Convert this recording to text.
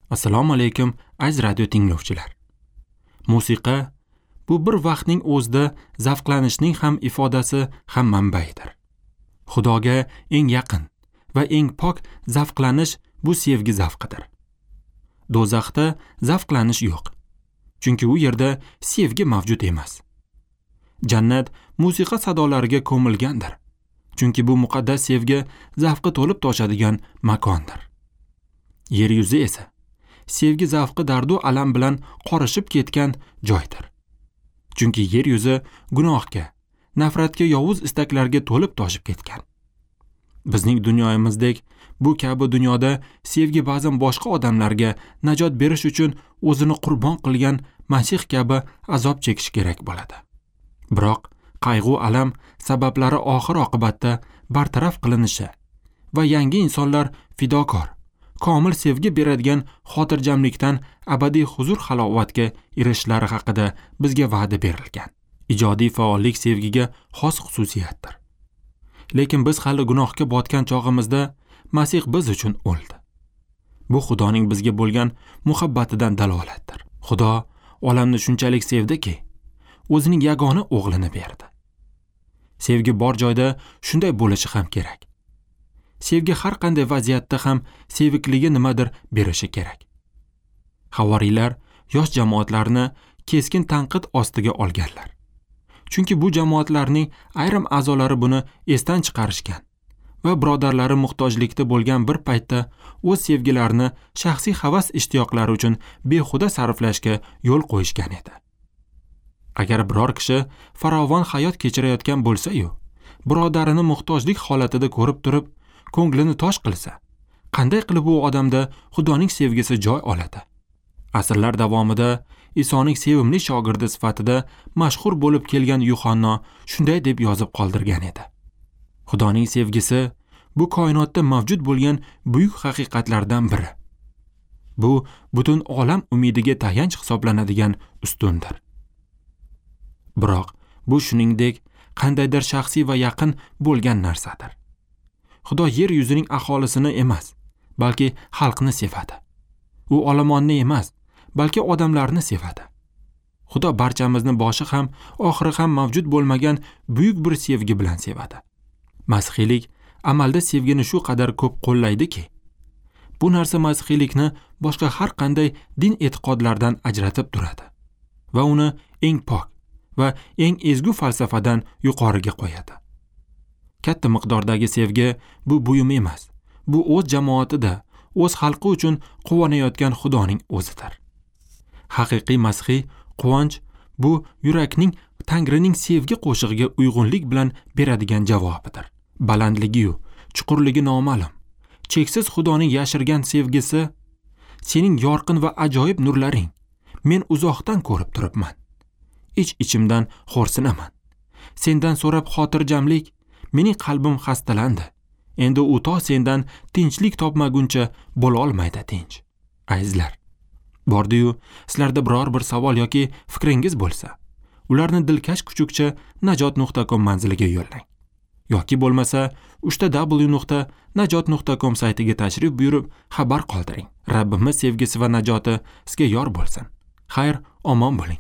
Assalomu alaykum, aziz radio tinglovchilar. Musiqa bu bir vaqtning o'zida zavqlanishning ham ifodasi, ham manbaidir. Xudoga eng yaqin va eng pok zavqlanish bu sevgi zavqidir. Do'zaxda zavqlanish yo'q, chunki u yerda sevgi mavjud emas. Jannat musiqa sadolariga ko'milgandir, chunki bu muqaddas sevgi zavqi to'lib toshadigan makondir. Yer yuzi esa sevgi zavqi dardu alam bilan qorishib ketgan joydir. Chunki yer yuzi gunohga, nafratga, yovuz istaklarga to'lib toshib ketgan. Bizning dunyomizdek bu kabi dunyoda sevgi ba'zan boshqa odamlarga najot berish uchun o'zini qurbon qilgan Masih kabi azob chekish kerak bo'ladi. Biroq qayg'u alam sabablari oxir oqibatda bartaraf qilinishi va yangi insonlar fidokor, komil sevgi beradigan xotirjamlikdan abadiy huzur halovatga erishishlari haqida bizga va'da berilgan. Ijodiy faollik sevgiga xos xususiyatdir. Lekin biz hali gunohga botgan chog'imizda Masih biz uchun o'ldi. Bu Xudoning bizga bo'lgan muhabbatidan dalolatdir. Xudo olamni shunchalik sevdiki, o'zining yagona o'g'lini berdi. Sevgi bor joyda shunday bo'lishi ham kerak. Sevgi har qanday vaziyatda ham sevikligi nimadir berishi kerak. Havoriylar yosh jamoatlarni keskin tanqid ostiga olganlar. Chunki bu jamoatlarning ayrim a'zolari buni esdan chiqarishgan va birodarlari muhtojlikda bo'lgan bir paytda o'z sevgilarini shaxsiy havas ishtiyoqlari uchun behuda sarflashga yo'l qo'yishgan edi. Agar biror kishi farovon hayot kechirayotgan bo'lsa-yu, birodarini muhtojlik holatida ko'rib turib, ko'nglini tosh qilsa, qanday qilib u odamda Xudoning sevgisi joy oladi? Asrlar davomida Isoning sevimli shogirdi sifatida mashhur bo'lib kelgan Yuhanno shunday deb yozib qoldirgan edi. Xudoning sevgisi bu koinotda mavjud bo'lgan buyuk haqiqatlardan biri. Bu butun olam umidiga tayanch hisoblanadigan ustundir. Biroq bu shuningdek qandaydir shaxsiy va yaqin bo'lgan narsadir. Xudo yer yuzining aholisini emas, balki xalqni sevadi. U olomonni emas, balki odamlarni sevadi. Xudo barchamizni boshi ham, oxiri ham mavjud bo'lmagan buyuk bir sevgi bilan sevadi. Masihiylik amalda sevgini shu qadar ko'p qo'llaydiki, bu narsa masihiylikni boshqa har qanday din e'tiqodlardan ajratib turadi va uni eng pok va eng ezgu falsafadan yuqoriga qo'yadi. Katta miqdordagi sevgi bu buyum emas, bu o'z jamoatida, o'z xalqi uchun quvonayotgan Xudoning o'zidir. Haqiqiy masihiy quvonch bu yurakning Tangrining sevgi qo'shig'iga uyg'unlik bilan beradigan javobidir. Balandligi-yu chuqurligi noma'lum, cheksiz Xudoning yashirgan sevgisi sening yorqin va ajoyib nurlaring men uzoqdan ko'rib turibman. Ich-ichimdan xo'rsinaman. Sendan so'rab xotirjamlik, mening qalbim xastalandi. Endi u to sendan tinchlik topmaguncha bo'la olmaydi tinch. Azizlar, bordi-yu sizlarda biror bir savol yoki fikringiz bo'lsa, ularni dilkash kuchukcha najot.com manziliga yo'llang. Yoki bo'lmasa www.najot.com saytiga tashrif buyurib xabar qoldiring. Rabbimiz sevgisi va najoti sizga yor bo'lsin. Xayr, omon bo'ling.